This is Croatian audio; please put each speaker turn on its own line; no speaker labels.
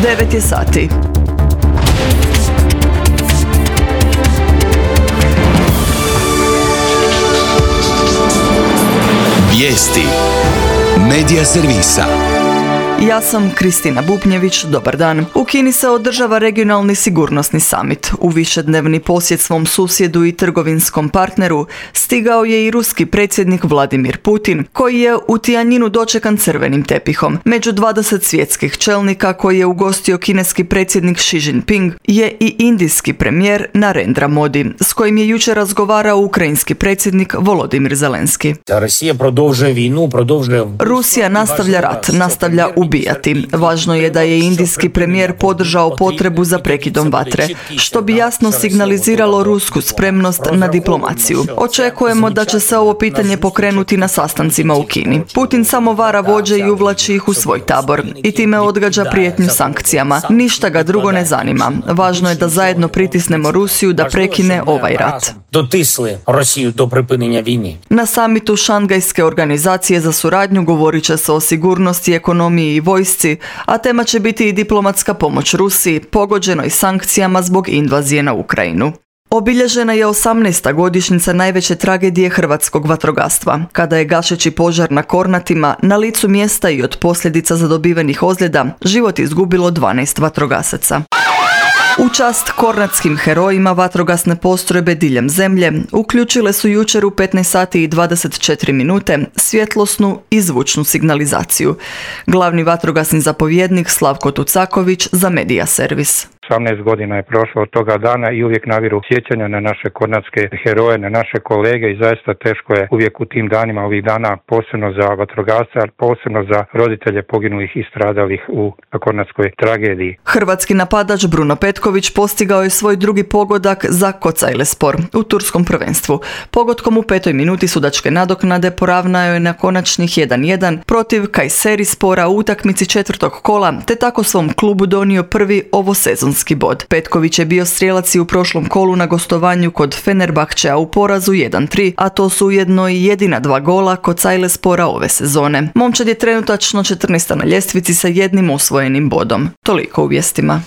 9 je sati.
Vijesti Medija servisa.
Ja sam Kristina Bupnjević, dobar dan. U Kini se održava regionalni sigurnosni summit. U višednevni posjet svom susjedu i trgovinskom partneru stigao je i ruski predsjednik Vladimir Putin, koji je u Tianjinu dočekan crvenim tepihom. Među 20 svjetskih čelnika koji je ugostio kineski predsjednik Xi Jinping je i indijski premijer Narendra Modi, s kojim je jučer razgovarao ukrajinski predsjednik Volodimir Zelenski. Rusija nastavlja rat, nastavlja ubijati. Važno je da je indijski premijer podržao potrebu za prekidom vatre, što bi jasno signaliziralo rusku spremnost na diplomaciju. Očekujemo da će se ovo pitanje pokrenuti na sastancima u Kini. Putin samo vara vođe i uvlači ih u svoj tabor i time odgađa prijetnju sankcijama. Ništa ga drugo ne zanima. Važno je da zajedno pritisnemo Rusiju da prekine ovaj rat. Na samitu Šangajske organizacije za suradnju govorit će se o sigurnosti, ekonomiji i vojsci, a tema će biti i diplomatska pomoć Rusiji, pogođenoj sankcijama zbog invazije na Ukrajinu. Obilježena je 18. godišnjica najveće tragedije hrvatskog vatrogastva, kada je gašeći požar na Kornatima na licu mjesta i od posljedica zadobivenih ozljeda život izgubilo 12 vatrogasaca. U čast kornatskim herojima vatrogasne postrojbe diljem zemlje uključile su jučer u 15 sati i 24 minute svjetlosnu i zvučnu signalizaciju. Glavni vatrogasni zapovjednik Slavko Tucaković za Medija servis.
18 godina je prošlo od toga dana i uvijek naviru sjećanja na naše kornatske heroje, na naše kolege i zaista teško je uvijek u tim danima, ovih dana, posebno za vatrogasce, ali posebno za roditelje poginulih i stradalih u kornatskoj tragediji.
Hrvatski napadač Bruno Petković postigao je svoj drugi pogodak za Kocaylespor u turskom prvenstvu. Pogodkom u 5. minuti sudačke nadoknade poravnao je na konačnih 1:1 protiv Kayserispora u utakmici 4. kola, te tako svom klubu donio prvi ovosezonski bod. Petković je bio strijelac i u prošlom kolu na gostovanju kod Fenerbahčea u porazu 1:3, a to su ujedno i jedina 2 gola Kocaylespora ove sezone. Momčad je trenutačno 14. na ljestvici sa 1 osvojenim bodom. Toliko u vijestima.